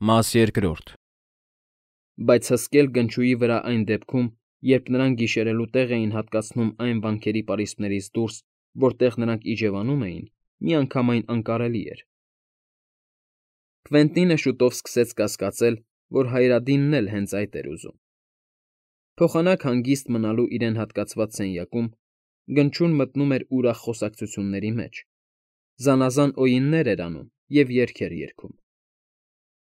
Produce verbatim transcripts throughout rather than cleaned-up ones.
Մաս երկրորդ։ Բայց հսկել գնչուի վրա այն դեպքում, երբ նրանք գիշերելու տեղ էին հատկացնում այն վանքերի պարիսպներից դուրս, որտեղ նրանք իջևանում էին, միանգամայն անկարելի էր։ Կվենտինը շուտով սկսեց կասկածել, որ Հայրադինն էլ հենց այդ էր ուզում։ Փոխանակ հանգիստ մնալու իրեն հատկացված սենյակում Գնչուն մտնում էր ուրախ խոսակցությունների մեջ, զանազան օյիններ էր անում և երգեր երգում։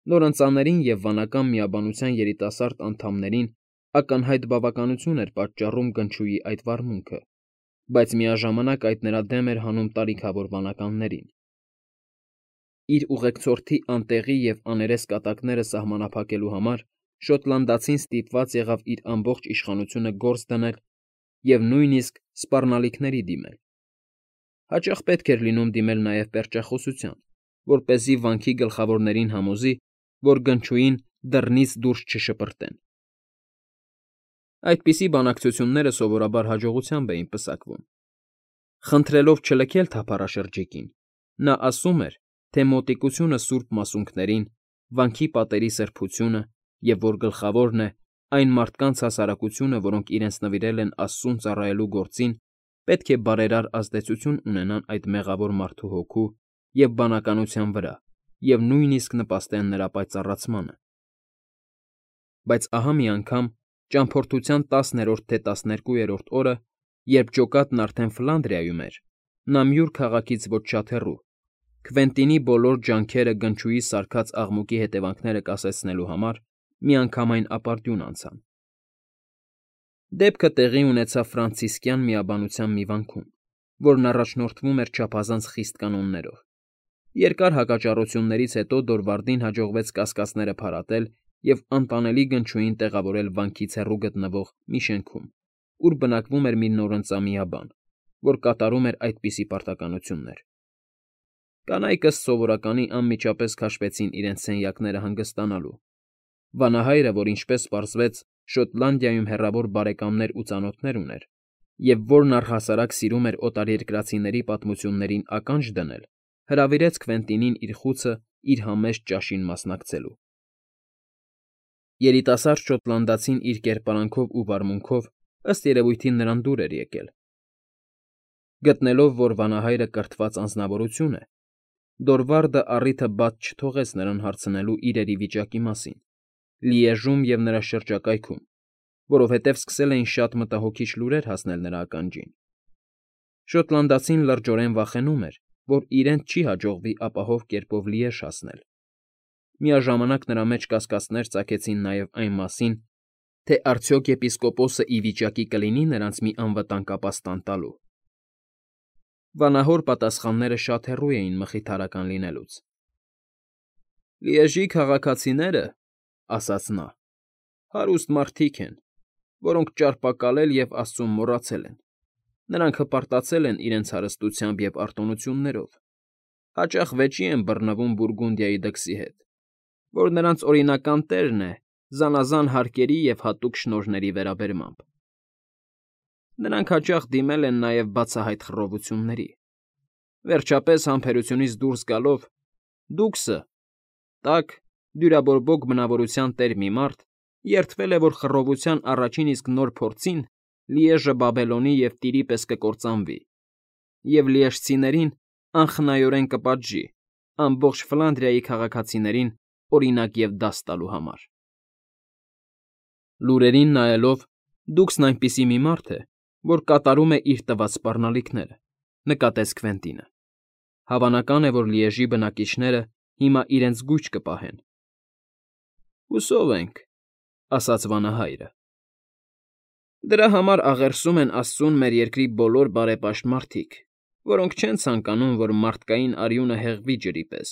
Նորընծաներին և վանական միաբանության երիտասարդ անդամներին ակնհայտ բավականություն էր պատճառում Գնչուի այդ վարմունքը, բայց միաժամանակ այդ նրա դեմ էր հանում տարիքավոր վանականներին։ Իր ուղեկցորդի անտեղի և աներես կատակները սահմանափակելու համար շոտլանդացին ստիպված եղավ իր ամբողջ իշխանությունը գործ դնել և նույնիսկ սպառնալիքների դիմել։ Հաճախ պետք էր լինում դիմել նաև պերճախոսության, որպեսզի վանքի գլխավորներին համոզի, որ Գնչուին դռնից դուրս չշպրտեն։ Այդպիսի բանակցությունները սովորաբար հաջողությամբ էին պսակվում։ Խնդրելով չլքել թափառաշրջիկին, նա ասում էր, թե մոտիկությունը սուրբ մասունքներին, վանքի պատերի սրբությունը և, որ գլխավորն է, այն մարդկանց հասարակությունը, որոնք իրենց նվիրել են Աստծուն ծառայելու գործին, պետք է բարերար ազդեցություն ունենան այդ մեղավոր մարդու հոգու և բանականության վրա և նույնիսկ նպաստեն նրա պայծառացմանը։ Բայց ահա մի անգամ, ճամփորդության տասներորդ թե տասներկուերորդ օրը, երբ ջոկատն արդեն Ֆլանդրիայում էր, նա Մյուր քաղաքից ոչ շատ հեռու, Քվենտինի բոլոր ջանքերը Գնչուի սարքած աղմուկի հետևանքները կասեցնելու համար միանգամայն ապարդյուն անցան։ Դեպքը տեղի ունեցավ ֆրանցիսկյան միաբանության մի վանքում, որն առաջնորդվում էր չափազանց խիստ կանոններով։ Երկար հակաճառություններից հետո Դորվարդին հաջողվեց կասկածները փարատել և անտանելի Գնչուին տեղավորել վանքից հեռու գտնվող մի շենքում, ուր բնակվում էր մի նորընծա միաբան, որ կատարում էր այդպիսի պարտականություններ։ Կանայք, ըստ սովորականի, անմիջապես քաշվեցին իրենց սենյակները հանգստանալու։ Վանահայրը, որ, ինչպես պարզվեց, Շոտլանդիայում հեռավոր բարեկամներ ու ծանոթներ ուներ, և որն առհասարակ սիրում էր օտարերկրացիների պատմություններին ականջ դնել, հրավիրեց Քվենտինին իր խուցը իր համեստ ճաշին մասնակցելու։ Երիտասարդ շոտլանդացին իր կերպարանքով ու վարմունքով, ըստ երևույթին, նրան դուր էր եկել։ Գտնելով, որ վանահայրը կրթված անձնավորություն է, Դորվարդը առիթը բաց չթողեց նրան հարցնելու իրերի վիճակի մասին, Լիեժում և նրա շրջակայքում, որովհետև սկսել էին շատ մտահոգիչ լուրեր հասնել նրա ականջին։ Շոտլանդացին լրջորեն վախենում էր, որ իրենց չի հաջողվի ապահով կերպով Լիեժ հասնել։ Միաժամանակ նրա մեջ կասկածներ ծագեցին նաև այն մասին, թե արդյոք եպիսկոպոսն ի վիճակի կլինի նրանց մի անվտանգ ապաստան տալու։ Վանահոր պատասխանները շատ հեռու էին մխիթարական լինելուց։ «Լիեժի քաղաքացիները, ֊ ասաց նա, ֊ հարուստ մարդիկ են, որոնք ճարպակալել և Աստծուն մոռացել են. նրանք հպարտացել են իրենց հարստությամբ և արտոնություններով, հաճախ վեճի են բռնվում Բուրգունդիայի դքսի հետ, որ նրանց օրինական տերն է զանազան հարկերի և հատուկ շնորհների վերաբերմամբ։ Նրանք հաճախ դիմել են նաև բացահայտ խռովությունների։ Վերջապես, համբերությունից դուրս գալով, դուքսը, տաք, դյուրաբորբոք բնավորության տեր մի մարդ, երդվել է, որ խռովության առաջին իսկ նոր փորձին Լիեժը Բաբելոնի և Տիրի պես կկործանվի, և լիեժցիներին անխնայորեն կպատժի, ամբողջ Ֆլանդրիայի քաղաքացիներին օրինակ և դաս տալու համար»։ Լուրերին նայելով, դուքսն այնպիսի մի մարդ է, որ կատարում է իր տված սպառնալիքները, ֊ նկատեց Քվենտինը։ Հավանական է, որ Լիեժի բնակիչները հիմա իրենց գույջ կպահեն։ ֊ Հուսով ենք, ֊ ասաց վանահայրը։ Դրա համար աղերսում են Աստծուն մեր երկրի բոլոր բարեպաշտ մարդիկ, որոնք չեն ցանկանում, որ մարդկային արյունը հեղվի ջրի պես,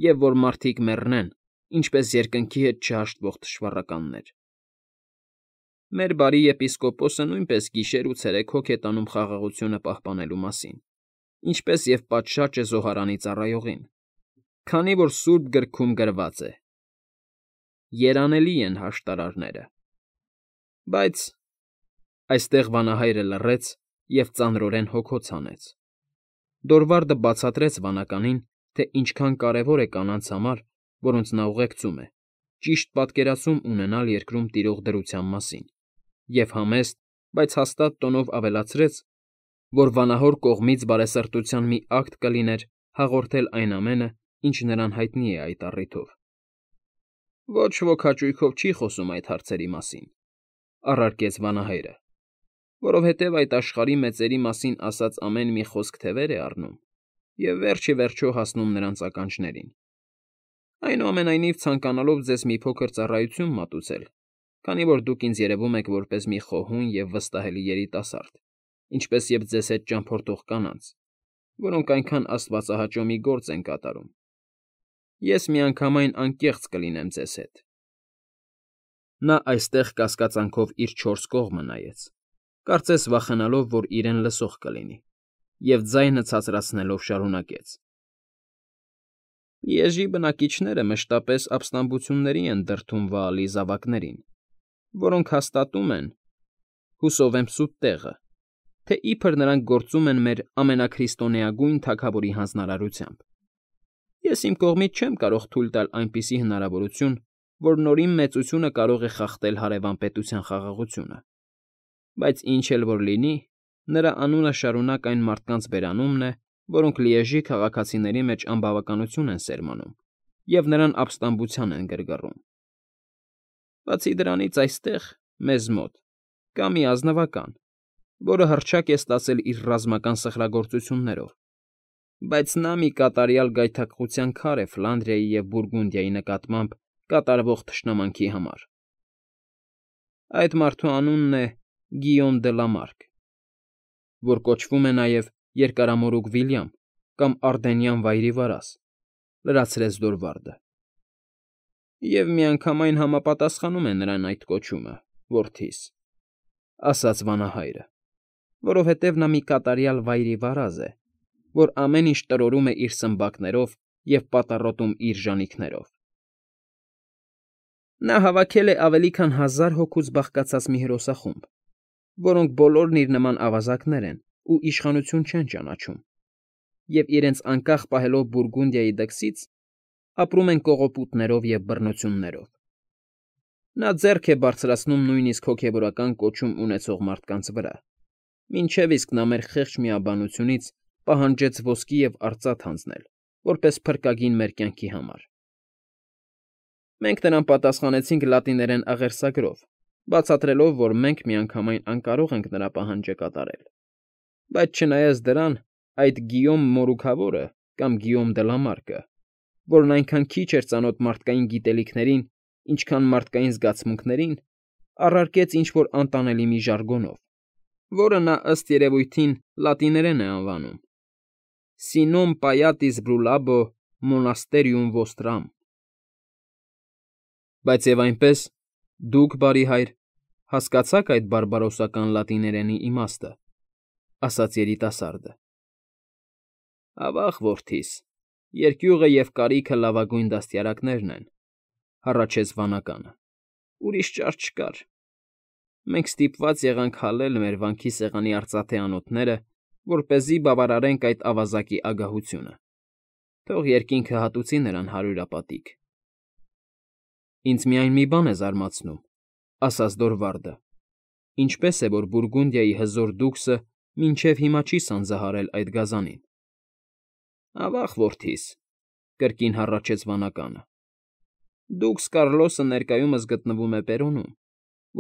և որ մարդիկ մեռնեն, ինչպես երկնքի հետ չհաշտվող թշվառականներ։ Մեր բարի եպիսկոպոսը նույնպես գիշեր ու ցերեկ հոգ է տանում խաղաղությունը պահպանելու մասին, ինչպես և պատշաճ է զոհարանի ծառայողին, քանի որ Սուրբ Գրքում գրված է. «Երանելի են հաշտարարները»։ Բայց… Այստեղ վանահայրը լռեց և ծանրորեն հոգոց հանեց։ Դորվարդը բացատրեց վանականին, թե ինչքան կարևոր է կանանց համար, որոնց նա ուղեկցում է, ճիշտ պատկերացում ունենալ երկրում տիրող դրության մասին և համեստ, բայց հաստատ տոնով ավելացրեց, որ վանահոր կողմից բարեսրտության մի ակտ կլիներ հաղորդել այն ամենը, ինչ նրան հայտնի է այդ առիթով։ Ոչ ոք հաճույքով չի խոսում այդ հարցերի մասին, առարկեց վանահայրը, որովհետև այդ աշխարհի մեծերի մասին ասած ամեն մի խոսք թևեր է առնում և վերջ ի վերջո հասնում նրանց ականջներին։ Այնուամենայնիվ, ցանկանալով ձեզ մի փոքր ծառայություն մատուցել, քանի որ դուք ինձ երևում եք որպես մի խոհուն և վստահելի երիտասարդ, ինչպես և ձեզ հետ ճամփորդող կանանց, որոնք այնքան աստվածահաճո մի գործ են կատարում, ես միանգամայն անկեղծ կլինեմ ձեզ հետ։ Նա այստեղ կասկածանքով իր չորս կողմը նայեց, կարծես վախենալով, որ իրեն լսող կլինի, և ձայնը ցածրացնելով շարունակեց. Լիեժի բնակիչները մշտապես ապստամբությունների են դրդում Վաալի զավակներին, որոնք հաստատում են, հուսով եմ սուտ տեղը, թե իբր նրանք գործում են մեր ամենաքրիստոնեագույն թագավորի հանձնարարությամբ։ Ես իմ կողմից չեմ կարող թույլ տալ այնպիսի հնարավորություն, որ Նորին մեծությունը կարող է խախտել հարևան պետության խաղաղությունը, բայց ինչ էլ որ լինի, նրա անունը շարունակ այն մարդկանց բերանումն է, որոնք Լիեժի քաղաքացիների մեջ անբավականություն են սերմանում և նրան ապստամբության են գրգռում։ Բացի դրանից այստեղ, մեզ մոտ, կա մի ազնվական, որը հռչակ է ստացել իր ռազմական սխրագործություններով, բայց նա մի կատարյալ գայթակղության քար է Ֆլանդրիայի և Բուրգունդիայի նկատմամբ կատարվող թշնամանքի համար։ Այդ մարդու անունն է Գիյոմ դը Լա Մարկ, որ կոչվում է նաև Երկարամորուք Վիլյամ կամ Արդենյան Վայրի Վարազ, լրացրեց Դորվարդը։ Եվ միանգամայն համապատասխանում է նրան այդ կոչումը, որդիս, ասաց վանահայրը, որովհետև նա մի կատարյալ Վայրի Վարազ է, որ ամեն ինչ տրորում է իր սմբակներով և պատառոտում իր ժանիքներով։ Նա հավաքել է ավելի քան հազար հոգուց բաղկացած մի հրոսախումբ, որոնք բոլորն իր նման ավազակներ են ու իշխանություն չեն ճանաչում, և իրենց անկախ պահելով Բուրգունդիայի դքսից, ապրում են կողոպուտներով և բռնություններով։ Նա ձեռք է բարձրացնում նույնիսկ հոգևորական կոչում ունեցող մարդկանց վրա, մինչև իսկ նա մեր խեղճ միաբանությունից պահանջեց ոսկի և արծաթ հանձնել, որպես փրկագին մեր կյանքի համար։ Մենք նրան պատասխանեցինք լատիներեն աղերսագրով, բացատրելով, որ մենք միանգամայն անկարող ենք նրա պահանջը կատարել, բայց չնայած դրան, այդ Գիյոմ Մորուքավորը կամ Գիյոմ դը Լա Մարկը, որն այնքան քիչ էր ծանոթ մարդկային գիտելիքներին, ինչքան մարդկային զգացմունքներին, առարկեց ինչ֊որ անտանելի մի ժարգոնով, որը նա ըստ երևույթին լատիներեն է անվանում. Սինոմ պայատիս բրուլաբո մոնաստերիում ոստրամ։ Բայց և այնպես, դուք, բարի հայր, հասկացա՞ք այդ բարբարոսական լատիներենի իմաստը, ասաց երիտասարդը։ Ավա՜ղ, որդիս, երկյուղը և կարիքը լավագույն դաստիարակներն են, հառաչեց վանականը, ուրիշ ճար չկար։ Մենք ստիպված եղանք հալել մեր վանքի սեղանի արծաթե անոթները, որպեսզի բավարարենք այդ ավազակի ագահությունը, թող երկինքը հատուցի նրան հարյուրապատիկ։ Ինձ միայն մի բան է զարմացնում, ասաց Դորվարդը. ինչպես է, որ Բուրգունդիայի հզոր դուքսը մինչև հիմա չի սանձահարել այդ գազանին։ Ավա՜ղ, որդիս, կրկին հառաչեց վանականը, դուքս Կարլոսը ներկայումս գտնվում է Պերոնում,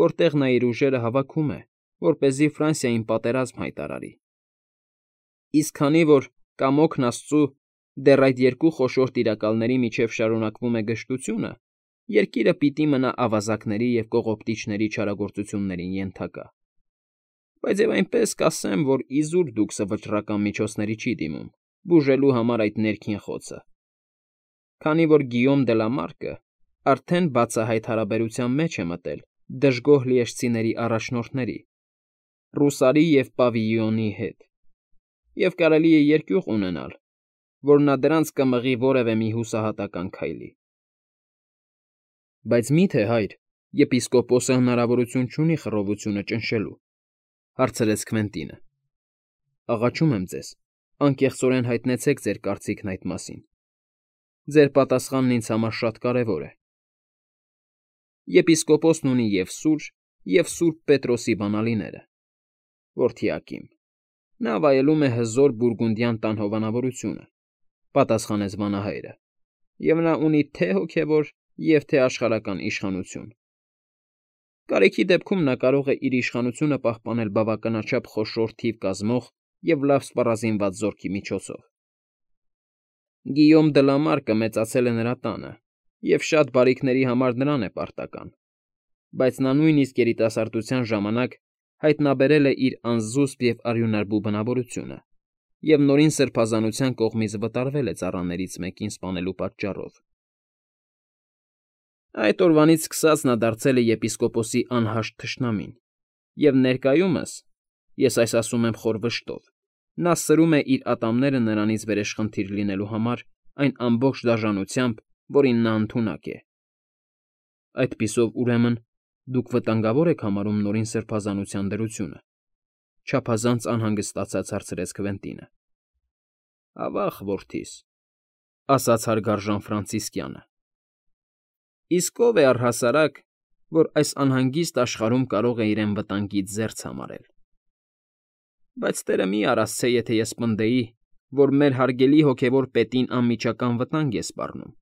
որտեղ նա իր ուժերը հավաքում է, որպեսզի Ֆրանսիային պատերազմ հայտարարի։ Իսկ քանի որ, կամոքն աստծու, դեռ այդ երկու խոշոր տիրակալների միջև շարունակվում է գժտությունը, երկիրը պիտի մնա ավազակների և կողոպտիչների չարագործություններին ենթակա։ Բայց և այնպես կասեմ, որ իզուր դուքսը վճռական միջոցների չի դիմում, բուժելու համար այդ ներքին խոցը, քանի որ Գիյոմ դը Լա Մարկը արդեն բացահայտ հարաբերության մեջ է մտել դժգոհ լիեժցիների առաջնորդների՝ Ռուսարի և Պավիյոնի հետ, և կարելի է երկյուղ ունենալ, որ նա դրանց կմղի որևէ մի հուսահատական քայլի։ Բայց մի՞թե, հայր, եպիսկոպոսը հնարավորություն չունի խռովությունը ճնշելու, հարցրեց Քվենտինը։ Աղաչում եմ ձեզ, անկեղծորեն հայտնեցեք ձեր կարծիքն այդ մասին։ Ձեր պատասխանն ինձ համար շատ կարևոր է։ Եպիսկոպոսն ունի և սուր, և Սուրբ Պետրոսի բանալիները։ Որդի Ակիմ, նա վայելում է հզոր բուրգունդյան տան հովանավորությունը,֊ պատասխանեց վանահայրը,֊ և նա ունի թե՛ հոգևոր և թե՛ աշխարհական իշխանություն։ Կարիքի դեպքում նա կարող է իր իշխանությունը պահպանել բավականաչափ խոշոր թիվ կազմող և լավ սպառազինված զորքի միջոցով։ Գիյոմ դը Լա Մարկը մեծացել է նրա տանը, և շատ բարիքների համար նրան է պարտական, բայց նա նույնիսկ երիտասարդության ժամանակ հայտնաբերել է իր անզուսպ և արյունարբու բնավորությունը և Նորին Սրբազանության կողմից վտարվել է ծառաներից մեկին սպանելու պատճառով։ Այդ օրվանից սկսած նա դարձել է եպիսկոպոսի անհաշտ թշնամին, և ներկայումս (ես այս ասում եմ խոր վշտով) նա սրում է իր ատամները նրանից վերեշխնդիր լինելու համար այն ամբողջ դաժանությամբ, որին նա ընդունակ է։ ֊ Այդպիսով, ուրեմն, դուք վտանգավոր եք համարում Նորին Սրբազանության դրությունը,֊ չափազանց անհանգստացած հարցրեց Քվենտինը։ ֊ Ավա՜ղ, որդիս,֊ ասաց հարգարժան ֆրանցիսկյանը,֊ իսկ ո՞վ է առհասարակ, որ այս անհանգիստ աշխարհում կարող է իրեն վտանգից զերծ համարել։ Բայց տերը մի՛ արասցե, եթե ես պնդեի, որ մեր հարգելի հոգևոր պետին անմիջական վտանգ է սպառնում։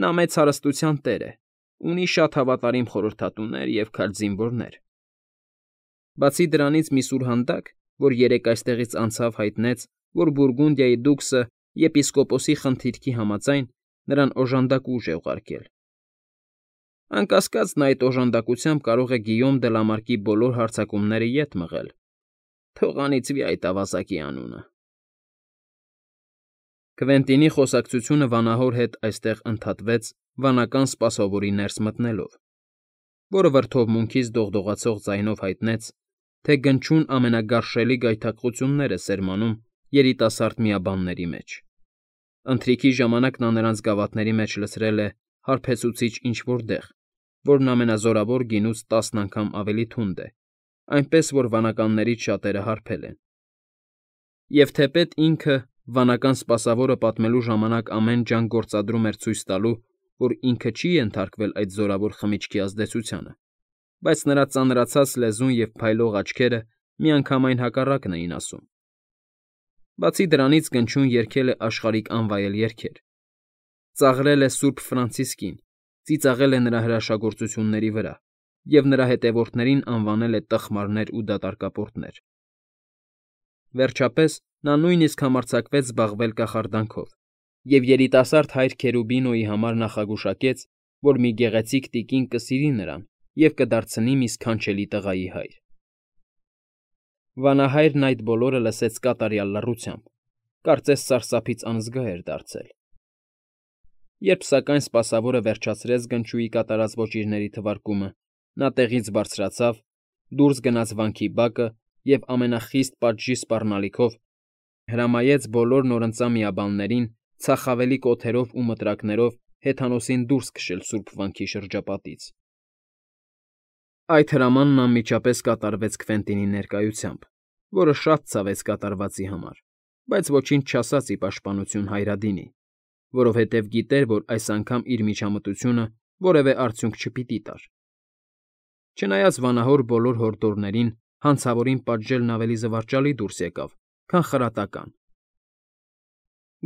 Նա մեծ հարստության տեր է, ունի շատ հավատարիմ խորհրդատուներ և քաջ զինվորներ։ Բացի դրանից մի սուրհանդակ, որ երեկ այստեղից անցավ, հայտնեց, որ Բուրգունդիայի դուքսը եպիսկոպոսի խնդիրքի համաձայն նրան օժանդակ ուժ է ուղարկել։ Անկասկած, նա այդ օժանդակությամբ կարող է Գիյոմ դը Լա Մարկի բոլոր հարձակումները ետ մղել։ Թող անիծվի այդ ավազակի անունը։ Քվենտինի խոսակցությունը վանահոր հետ այստեղ ընդհատվեց վանական սպասավորի ներս մտնելով, որը վրդովմունքից դողդողացող ձայնով հայտնեց, թե գնչուն ամենագարշելի գայթակղություններ է սերմանում երիտասարդ միաբանների մեջ։ Ընթրիքի ժամանակ նա նրանց գավաթների մեջ լցրել է հարբեցուցիչ ինչ֊որ դեղ, որն ամենազորավոր գինուց տասն անգամ ավելի թունդ է, այնպես որ վանականներից շատերը հարբել են։ Եվ թեպետ ինքը, վանական սպասավորը պատմելու ժամանակ ամեն ջանք գործադրում էր ցույց տալու, որ ինքը չի ենթարկվել այդ զորավոր խմիչքի ազդեցությանը, բայց նրա ծանրացած լեզուն և փայլող աչքերը միանգամայն հակառակն էին ասում։ Բացի դրանից գնչուն երգել է աշխարհիկ անվայել երգեր, ծաղրել է Սուրբ Ֆրանցիսկին, ծիծաղել է նրա հրաշագործությունների վրա և նրա հետևորդներին անվանել է տխմարներ ու դատարկապորտներ։ Վերջապես նա նույնիսկ համարձակվեց զբաղվել կախարդանքով և երիտասարդ հայր Քերուբինոյի համար նախագուշակեց, որ մի գեղեցիկ տիկին կսիրի նրան և կդարձնի մի սքանչելի տղայի հայր։ Վանահայրն այդ բոլորը լսեց կատարյալ լռությամբ, կարծես սարսափից անզգա էր դարձել։ Երբ սակայն սպասավորը վերջացրեց գնչուի կատարած ոճիրների թվարկումը, նա տեղից բարձրացավ, դուրս գնաց վանքի բակը և ամենախիստ պատժի սպառնալիքով հրամայեց բոլոր նորընծա միաբաններին ցախավելի կոթերով ու մտրակներով հեթանոսին դուրս քշել սուրբ վանքի շրջապատից։ Այդ հրամանն անմիջապես կատարվեց Քվենտինի ներկայությամբ, որը շատ ցավեց կատարվածի համար, բայց ոչինչ չասաց ի պաշտպանություն Հայրադինի, որովհետև գիտեր, որ այս անգամ իր միջամտությունը որևէ արդյունք չպիտի տար։ Չնայած վանահոր բոլոր հորդորներին, հանցավորին պատժելն ավելի զվարճալի դուրս եկավ, քան խրատական։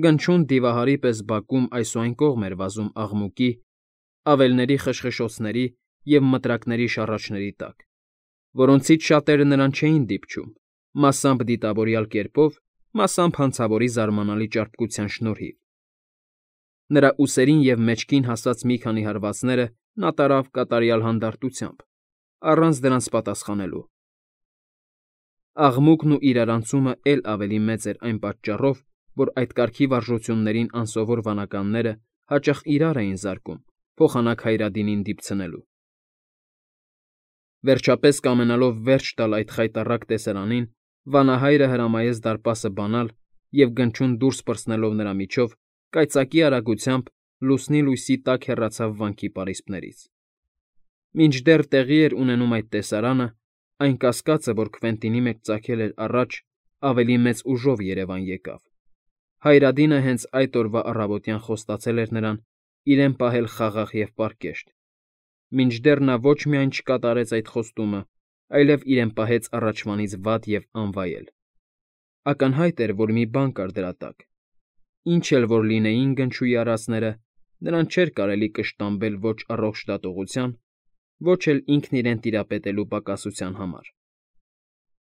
Գնչուն դիվահարի պես բակում այս ու այն կողմ էր վազում աղմուկի, ավերների խշխշոցների և մտրակների շառաչների տակ, որոնցից շատերը նրան չէին դիպչում, մասամբ դիտավորյալ կերպով, մասամբ հանցավորի զարմանալի ճարպկության շնորհիվ։ Նրա ուսերին և մեջքին հասած մի քանի հարվածները նա տարավ կատարյալ հանդարտությամբ, առանց դրանց պատասխանելու։ Աղմուկն ու իրարանցումը էլ ավելի մեծ էր այն պատճառով, որ այդ կարգի վարժություններին անսովոր վանականները հաճախ իրար էին զարկում, փոխանակ Հայրադինին դիպցնելու։ Վերջապես, կամենալով վերջ տալ այդ խայտառակ տեսարանին, վանահայրը հրամայեց դարպասը բանալ և գնչուն դուրս պրծնելով նրա միջով, կայծակի արագությամբ լուսնի լույսի տակ հեռացավ վանքի պարիսպներից։ Մինչդեռ տեղի էր ունենում այդ տեսարանը, այն կասկածը, որ Քվենտինի մեջ ծագել էր առաջ, ավելի մեծ ուժով երևան եկավ։ Հայրադինը հենց այդ օրվա առավոտյան խոստացել էր նրան իրեն պահել խաղաղ և պարկեշտ, Մինչդեռ նա ոչ միայն չկատարեց այդ խոստումը, այլև իրեն պահեց առաջվանից վատ և անվայել. ակնհայտ էր, որ մի բան կար դրա տակ. ինչ էլ որ լինեին գնչուի արածները, նրան չէր կարելի կշտամբել ոչ առողջ դատողության, ոչ էլ ինքն իրեն տիրապետելու պակասության համար.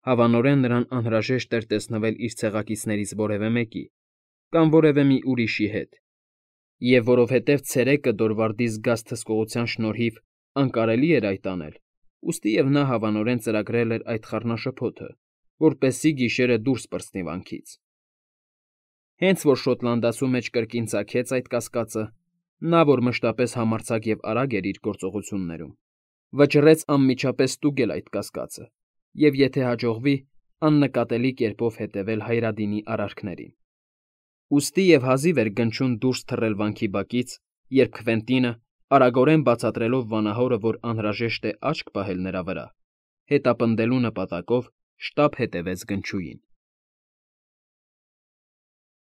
հավանորեն նրան անհրաժեշտ էր տեսնվել իր ցեղակիցներից որևէ մեկի կամ որևէ մի ուրիշի հետ, և որովհետև ցերեկը Դորվարդի զգաց թզկողության շնորհիվ անկարելի էր այդ անել, ուստիև նա հավանորեն ծրագրել էր այդ խառնաշփոթը, որպեսզի գիշերը դուրս պրծնի վանքից. հենց որ Շոտլանդացու մեջ կրկին ծագեց այդ կասկածը, նա, որ մշտապես համարձակ և արագ էր իր գործողություններում, վճռեց անմիջապես ստուգել այդ կասկածը և, եթե հաջողվի, աննկատելի կերպով հետևել Հայրադինի արարքներին. ուստի և հազիվ էր գնչուն դուրս թռել վանքի բակից, երբ Քվենտինը, արագորեն բացատրելով վանահորը, որ անհրաժեշտ է աչք պահել նրա վրա, հետապնդելու նպատակով շտապ հետևեց գնչուին։